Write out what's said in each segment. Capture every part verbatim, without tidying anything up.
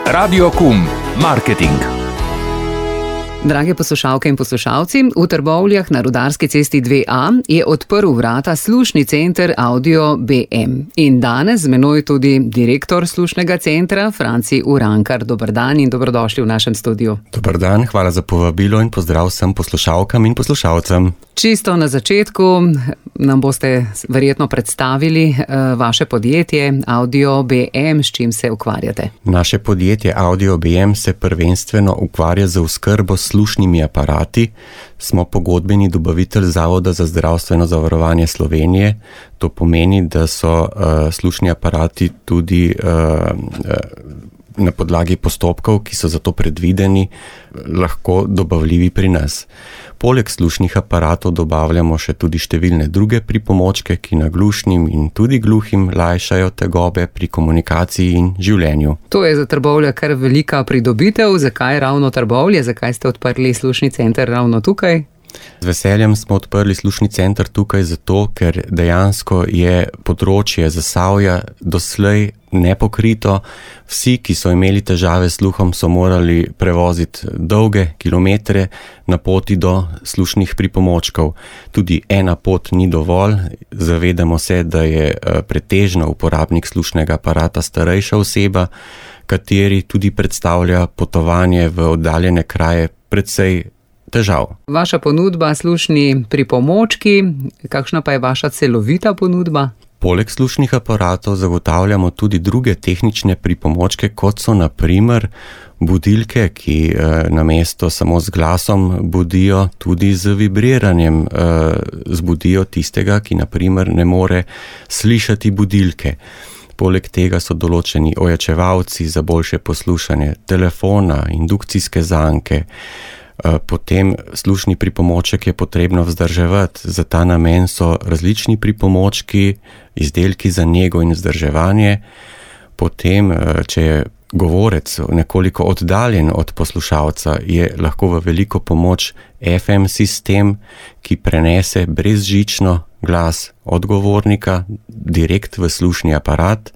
Radio Kum, marketing. Drage poslušalke in poslušalci, v Trbovljah na Rudarski cesti dve A je odprl vrata slušni center Audio B M. In danes z menoj tudi direktor slušnega centra, Franci Urankar. Dober dan in dobrodošli v našem studiu. Dober dan, hvala za povabilo in pozdrav vsem poslušalkam in poslušalcem. Čisto na začetku nam boste verjetno predstavili uh, vaše podjetje Audio B M, s čim se ukvarjate. Naše podjetje Audio B M se prvenstveno ukvarja z oskrbo s slušnimi aparati. Smo pogodbeni dobavitelj Zavoda za zdravstveno zavarovanje Slovenije. To pomeni, da so uh, slušni aparati tudi uh, uh, na podlagi postopkov, ki so za to predvideni, lahko dobavljivi pri nas. Poleg slušnih aparatov dobavljamo še tudi številne druge pripomočke, ki naglušnim in tudi gluhim lajšajo tegobe pri komunikaciji in življenju. To je za Trbovlje kar velika pridobitev. Zakaj ravno Trbovlje? Zakaj ste odprli slušni center ravno tukaj? Z veseljem smo odprli slušni center tukaj zato, ker dejansko je področje Zasavja doslej nepokrito. Vsi, ki so imeli težave s sluhom, so morali prevoziti dolge kilometre na poti do slušnih pripomočkov. Tudi ena pot ni dovolj. Zavedamo se, da je pretežno uporabnik slušnega aparata starejša oseba, kateri tudi predstavlja potovanje v oddaljene kraje precej težav. Vaša ponudba, slušni pripomočki, kakšna pa je vaša celovita ponudba? Poleg slušnih aparatov zagotavljamo tudi druge tehnične pripomočke, kot so na primer budilke, ki eh, namesto samo z glasom budijo tudi z vibriranjem, eh, zbudijo tistega, ki na primer ne more slišati budilke. Poleg tega so določeni ojačevalci za boljše poslušanje telefona, indukcijske zanke. Potem slušni pripomoček je potrebno vzdrževati. Za ta namen so različni pripomočki, izdelki za nego in vzdrževanje. Potem, če je govorec nekoliko oddaljen od poslušalca, je lahko v veliko pomoč F M sistem, ki prenese brezžično glas od govornika direkt v slušni aparat.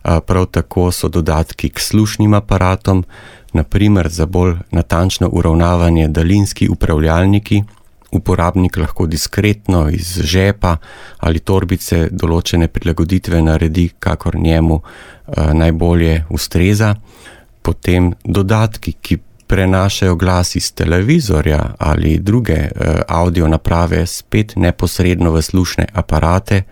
Prav tako so dodatki k slušnim aparatom, na primer za bolj natančno uravnavanje daljinski upravljalniki. Uporabnik lahko diskretno iz žepa ali torbice določene prilagoditve naredi, kakor njemu eh, najbolje ustreza. Potem dodatki, ki prenašajo glas iz televizorja ali druge eh, audio naprave spet neposredno v slušne aparate,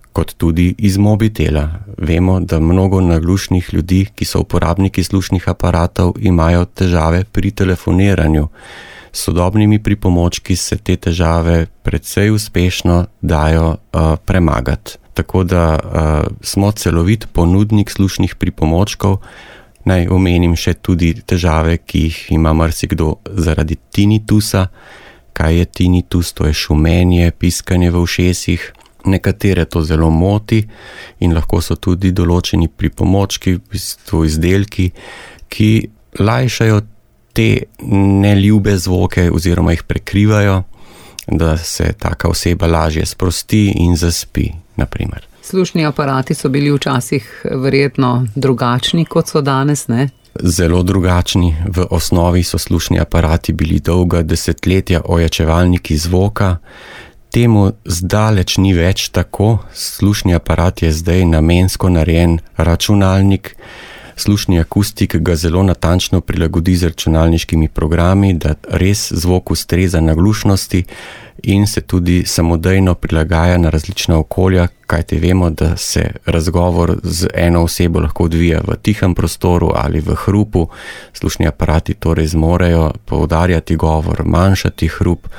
kot tudi iz mobitela. Vemo, da mnogo naglušnih ljudi, ki so uporabniki slušnih aparatov, imajo težave pri telefoniranju. S sodobnimi pripomočki se te težave precej uspešno dajo uh, premagati. Tako da uh, smo celovit ponudnik slušnih pripomočkov. Naj omenim še tudi težave, ki jih ima marsikdo zaradi tinitusa. Kaj je tinitus? To je šumenje, piskanje v ušesih. Nekatere to zelo moti in lahko so tudi določeni pripomočki, v bistvu izdelki, ki lajšajo te neljube zvoke oziroma jih prekrivajo, da se taka oseba lažje sprosti in zaspi, na primer. Slušni aparati so bili včasih verjetno drugačni, kot so danes, ne? Zelo drugačni. V osnovi so slušni aparati bili dolga desetletja ojačevalniki zvoka. Temu zdaleč ni več tako. Slušni aparat je zdaj namensko narejen računalnik. Slušni akustik ga zelo natančno prilagodi z računalniškimi programi, da res zvok ustreza naglušnosti in se tudi samodejno prilagaja na različna okolja, kajti vemo, da se razgovor z eno osebo lahko odvija v tihem prostoru ali v hrupu. Slušni aparati torej zmorejo poudarjati govor, manjšati hrup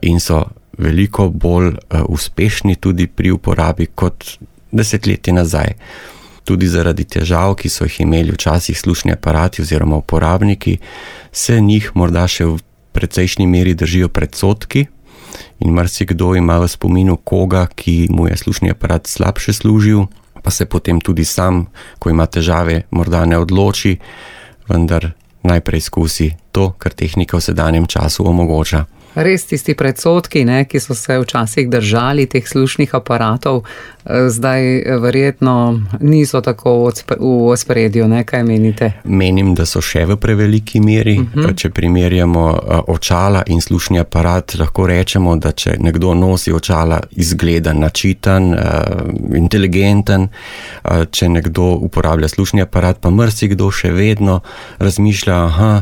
in so veliko bolj uh, uspešni tudi pri uporabi kot desetletje nazaj. Tudi zaradi težav, ki so jih imeli včasih slušni aparati oziroma uporabniki, se njih morda še v precejšnji meri držijo predsodki in marsikdo ima v spominu koga, ki mu je slušni aparat slabše služil, pa se potem tudi sam, ko ima težave, morda ne odloči, vendar najprej skusi to, kar tehnika v sedanjem času omogoča. Res tisti predsodki, ne, ki so se včasih držali teh slušnih aparatov, zdaj verjetno niso tako v ospredju, ne, kaj menite? Menim, da so še v preveliki meri. Uh-huh. Če primerjamo očala in slušni aparat, lahko rečemo, da če nekdo nosi očala, izgleda načitan, inteligenten, če nekdo uporablja slušni aparat, pa marsikdo še vedno razmišlja, aha,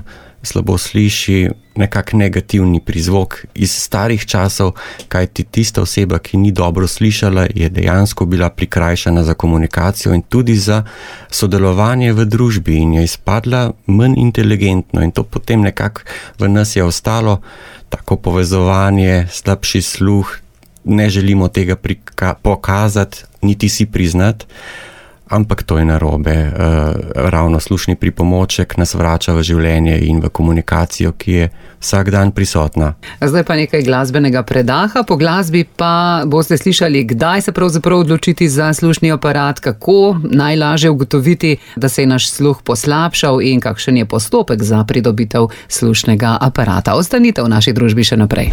slabo sliši, nekak negativni prizvok iz starih časov, kajti tista oseba, ki ni dobro slišala, je dejansko bila prikrajšana za komunikacijo in tudi za sodelovanje v družbi in je izpadla manj inteligentno in to potem nekako v nas je ostalo, tako povezovanje, slabši sluh, ne želimo tega prika- pokazati, niti si priznati, ampak to je narobe. Ravno slušni pripomoček nas vrača v življenje in v komunikacijo, ki je vsak dan prisotna. Zdaj pa nekaj glasbenega predaha. Po glasbi pa boste slišali, kdaj se pravzaprav odločiti za slušni aparat, kako najlažje ugotoviti, da se je naš sluh poslabšal in kakšen je postopek za pridobitev slušnega aparata. Ostanite v naši družbi še naprej.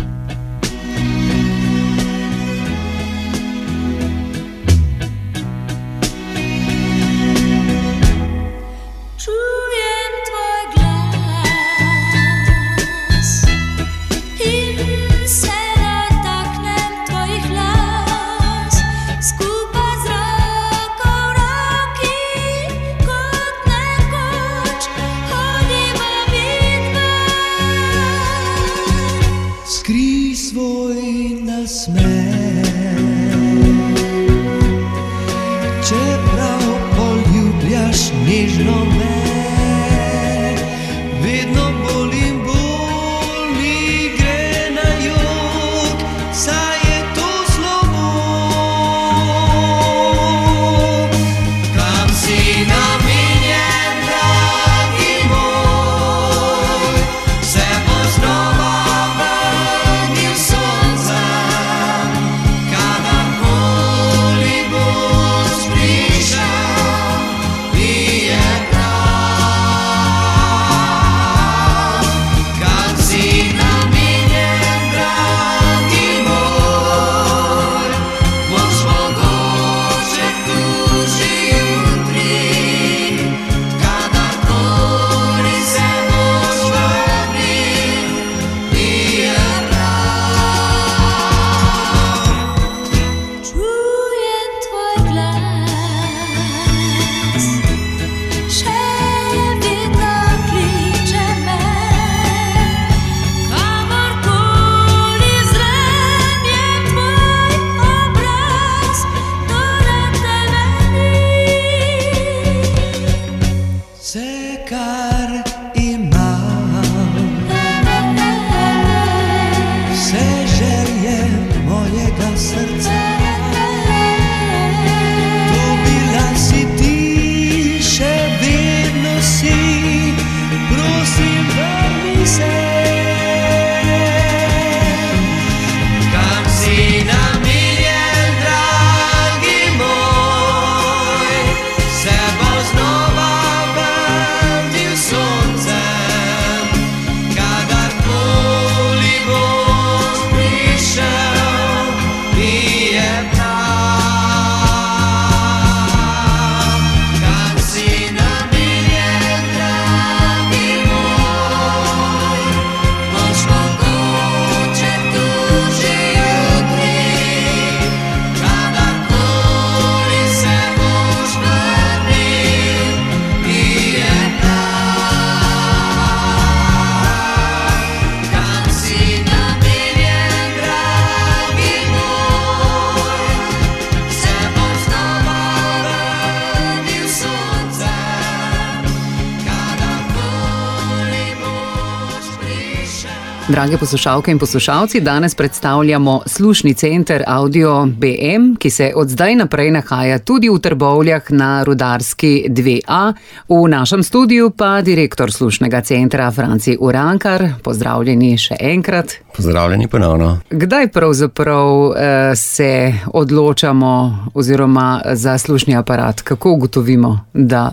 Drage poslušalke in poslušalci, danes predstavljamo slušni center Audio B M, ki se od zdaj naprej nahaja tudi v Trbovljah na Rudarski dve A. V našem studiu pa direktor slušnega centra Franci Urankar. Pozdravljeni še enkrat. Pozdravljeni ponovno. Kdaj pravzaprav eh, se odločamo oziroma za slušni aparat? Kako ugotovimo, da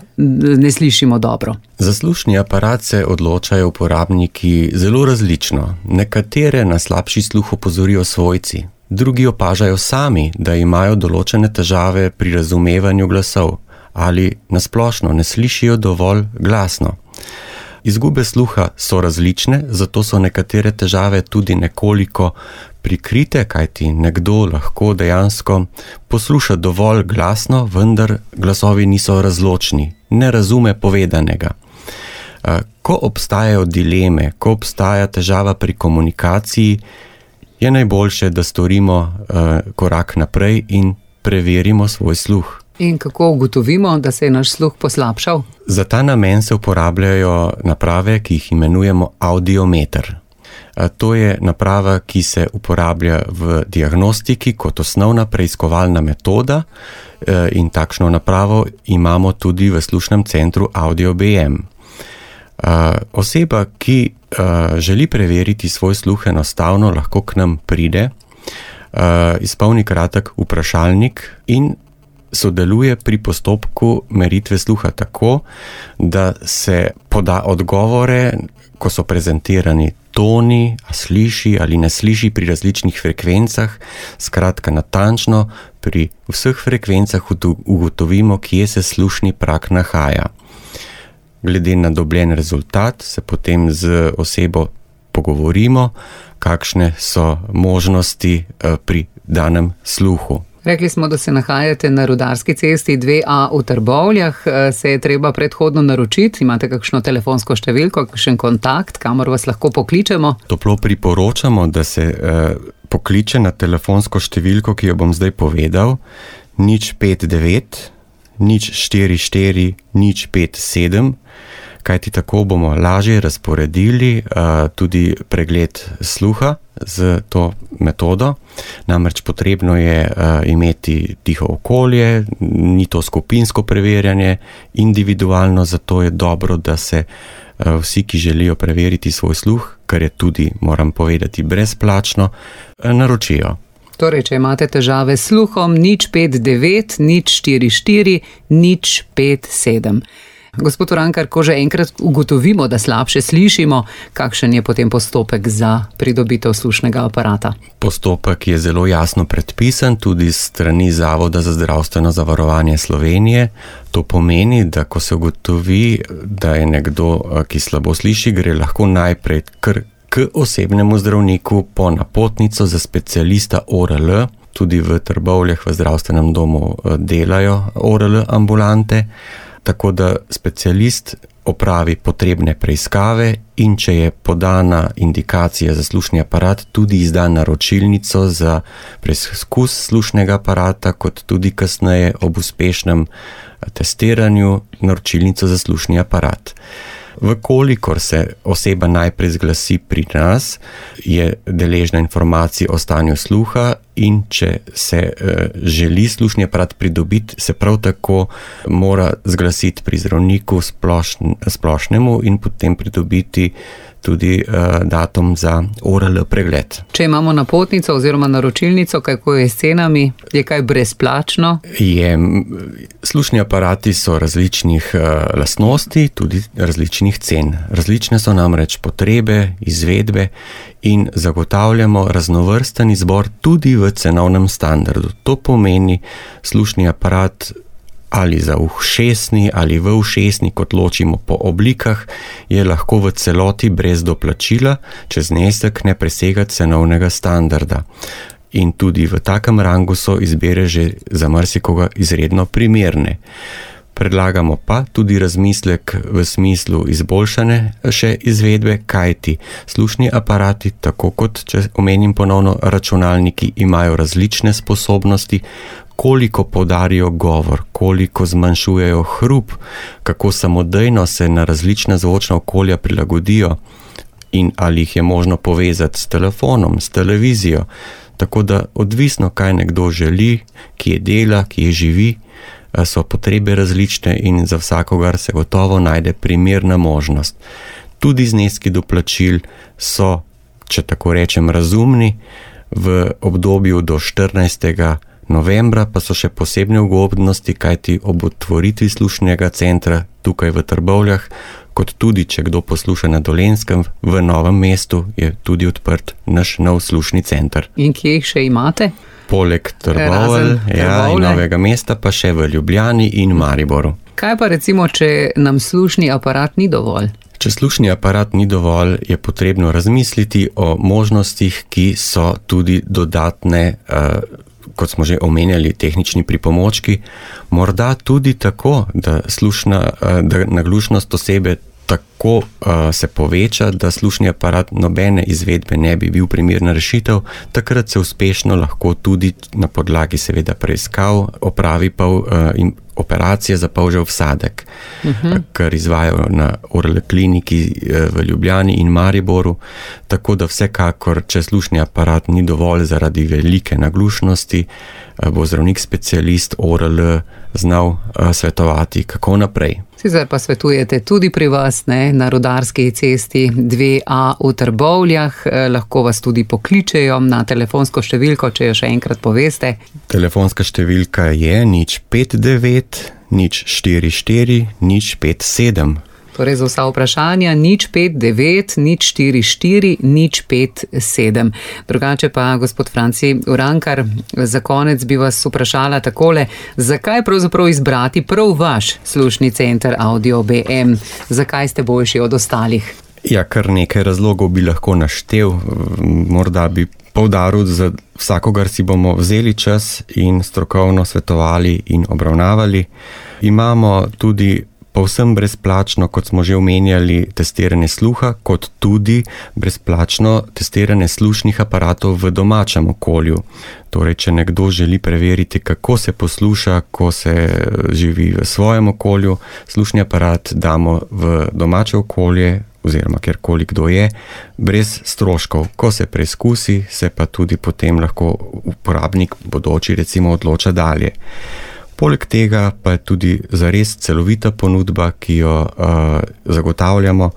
ne slišimo dobro? Za slušni aparat se odločajo uporabniki zelo različno. Nekatere na slabši sluh opozorijo svojci, drugi opažajo sami, da imajo določene težave pri razumevanju glasov ali nasplošno ne slišijo dovolj glasno. Izgube sluha so različne, zato so nekatere težave tudi nekoliko prikrite, kajti nekdo lahko dejansko posluša dovolj glasno, vendar glasovi niso razločni, ne razume povedanega. Ko obstajajo dileme, ko obstaja težava pri komunikaciji, je najboljše, da storimo korak naprej in preverimo svoj sluh. In kako ugotovimo, da se je naš sluh poslabšal? Za ta namen se uporabljajo naprave, ki jih imenujemo audiometer. To je naprava, ki se uporablja v diagnostiki kot osnovna preiskovalna metoda in takšno napravo imamo tudi v slušnem centru Audio B M. Oseba, ki želi preveriti svoj sluh, enostavno lahko k nam pride, izpolni kratek vprašalnik in sodeluje pri postopku meritve sluha tako, da se poda odgovore, ko so prezentirani toni, a sliši ali ne sliši pri različnih frekvencah, skratka natančno pri vseh frekvencah ugotovimo, kje se slušni prak nahaja. Glede na dobljen rezultat se potem z osebo pogovorimo, kakšne so možnosti pri danem sluhu. Rekli smo, da se nahajate na Rudarski cesti dve A v Trbovljah. Se je treba predhodno naročiti? Imate kakšno telefonsko številko, kakšen kontakt, kamor vas lahko pokličemo? Toplo priporočamo, da se eh, pokliče na telefonsko številko, ki jo bom zdaj povedal, nič pet devet, nič štiri štiri, nič pet sedem, kajti tako bomo lažje razporedili uh, tudi pregled sluha z to metodo. Namreč potrebno je uh, imeti tiho okolje, ni to skupinsko preverjanje, individualno, zato je dobro, da se uh, vsi, ki želijo preveriti svoj sluh, kar je tudi, moram povedati, brezplačno, uh, naročijo. Torej, če imate težave s sluhom, nič pet devet, nič štiri štiri, nič pet sedem. Gospod Urankar, ko že enkrat ugotovimo, da slabše slišimo, kakšen je potem postopek za pridobitev slušnega aparata? Postopek je zelo jasno predpisan tudi s strani Zavoda za zdravstveno zavarovanje Slovenije. To pomeni, da ko se ugotovi, da je nekdo, ki slabo sliši, gre lahko najprej kar k osebnemu zdravniku po napotnico za specialista O R L. Tudi v Trbovljah v zdravstvenem domu delajo O R L ambulante. Tako da specialist opravi potrebne preiskave in če je podana indikacija za slušni aparat, tudi izda naročilnico za preizkus slušnega aparata, kot tudi kasneje ob uspešnem testiranju naročilnico za slušni aparat. Vkolikor se oseba najprej zglasi pri nas, je deležna informacij o stanju sluha in če se e, želi slušni aparat pridobiti, se prav tako mora zglasiti pri zdravniku splošn, splošnemu in potem pridobiti tudi e, datum za O R L pregled. Če imamo napotnico oziroma naročilnico, kako je s cenami? Je kaj brezplačno? Je, slušni aparati so različnih e, lastnosti, tudi različnih cen. Različne so namreč potrebe, izvedbe in zagotavljamo raznovrsten izbor tudi v cenovnem standardu. To pomeni slušni aparat ali za ušesni ali v ušesni, kot ločimo po oblikah, je lahko v celoti brez doplačila, če znesek ne presega cenovnega standarda. In tudi v takem rangu so izbire že za marsikoga izredno primerne. Predlagamo pa tudi razmislek v smislu izboljšane še izvedbe, kajti slušni aparati, tako kot, če omenim ponovno, računalniki imajo različne sposobnosti, koliko podarijo govor, koliko zmanjšujejo hrup, kako samodejno se na različna zvočna okolja prilagodijo in ali jih je možno povezati s telefonom, s televizijo. Tako da odvisno, kaj nekdo želi, kje dela, kje živi, so potrebe različne in za vsakogar se gotovo najde primerna možnost. Tudi zneski doplačil so, če tako rečem, razumni, v obdobju do štirinajstega novembra pa so še posebne ugodnosti, kajti ob otvoritvi slušnega centra tukaj v Trbovljah kot tudi, če kdo posluša na Dolenjskem, v Novem mestu je tudi odprt naš nov slušni center. In kje jih še imate? Poleg Trbovelj, ja, in Novega mesta pa še v Ljubljani in Mariboru. Kaj pa recimo, če nam slušni aparat ni dovolj? Če slušni aparat ni dovolj, je potrebno razmisliti o možnostih, ki so tudi dodatne, kot smo že omenjali, tehnični pripomočki. Morda tudi tako, da, slušna, da naglušnost osebe tako uh, se poveča, da slušni aparat nobene izvedbe ne bi bil primerna rešitev, takrat se uspešno lahko tudi na podlagi seveda preiskav opravi pa uh, in operacije za polžev vsadek, uh-huh. kar izvajajo na Orle kliniki v Ljubljani in Mariboru, tako da vsekakor, če slušni aparat ni dovolj zaradi velike naglušnosti, bo zdravnik specialist O R L znal uh, svetovati, kako naprej. Sicer pa svetujete tudi pri vas, ne, na Rudarski cesti dve A v Trbovljah, eh, lahko vas tudi pokličejo na telefonsko številko, če jo še enkrat poveste. Telefonska številka je nič pet devet, nič štiri štiri, nič pet sedem. Torej za vsa vprašanja nič pet devet, nič štiri štiri, nič pet sedem. Drugače pa, gospod Franci Urankar, za konec bi vas vprašala takole, zakaj pravzaprav izbrati prav vaš slušni center Audio B M? Zakaj ste boljši od ostalih? Ja, kar nekaj razlogov bi lahko naštel. Morda bi poudaril, za vsakogar si bomo vzeli čas in strokovno svetovali in obravnavali. Imamo tudi povsem brezplačno, kot smo že omenjali, testiranje sluha, kot tudi brezplačno testiranje slušnih aparatov v domačem okolju. Torej, če nekdo želi preveriti, kako se posluša, ko se živi v svojem okolju, slušni aparat damo v domače okolje, oziroma kjerkoli kdo je, brez stroškov. Ko se preizkusi, se pa tudi potem lahko uporabnik bodoči recimo odloča dalje. Poleg tega pa je tudi zares celovita ponudba, ki jo uh, zagotavljamo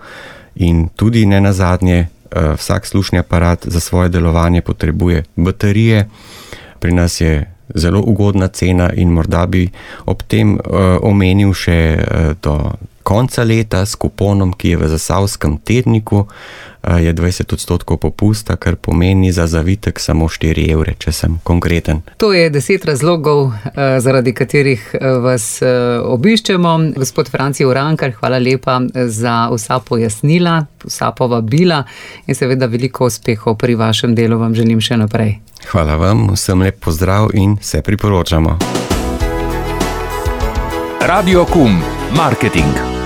in tudi ne nazadnje uh, vsak slušni aparat za svoje delovanje potrebuje baterije. Pri nas je zelo ugodna cena in morda bi ob tem uh, omenil še uh, do konca leta s kuponom, ki je v Zasavskem tedniku, je dvajset odstotkov popusta, kar pomeni za zavitek samo štiri evre, če sem konkreten. To je deset razlogov, zaradi katerih vas obiščemo. Gospod Franci Urankar, hvala lepa za vsa pojasnila, vsa povabila in seveda veliko uspehov pri vašem delu vam želim še naprej. Hvala vam, vsem lep pozdrav in se priporočamo. Radio Kum, marketing.